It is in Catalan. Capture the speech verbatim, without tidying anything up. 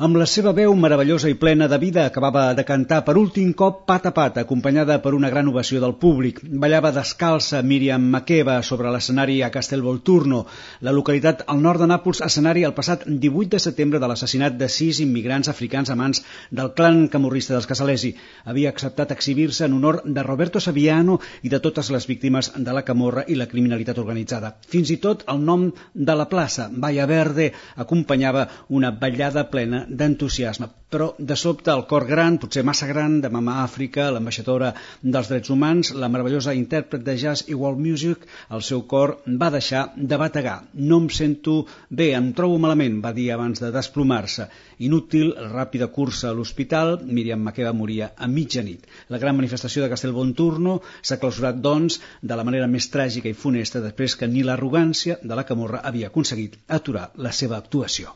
Amb la seva veu meravellosa i plena de vida acabava de cantar per últim cop Pat a Pat, acompanyada per una gran ovació del públic. Ballava descalça Miriam Makeba sobre l'escenari a Castelvolturno, la localitat al nord de Nàpols, escenari el passat divuit de setembre de l'assassinat de sis immigrants africans a mans del clan camorrista dels Casalesi. Havia acceptat exhibir-se en honor de Roberto Saviano i de totes les víctimes de la camorra i la criminalitat organitzada. Fins i tot el nom de la plaça, Valle Verde, acompanyava una ballada plena d'entusiasme, però de sobte el cor gran, potser massa gran, de Mama Àfrica, l'ambaixadora dels drets humans, la meravellosa intèrpret de jazz i world music, el seu cor va deixar de bategar. No em sento bé, em trobo malament, va dir abans de desplomar-se. Inútil, ràpida cursa a l'hospital, Miriam Makeba moria a mitjanit. La gran manifestació de Castelvolturno s'ha clausurat, doncs, de la manera més tràgica i funesta després que ni l'arrogància de la camorra havia aconseguit aturar la seva actuació.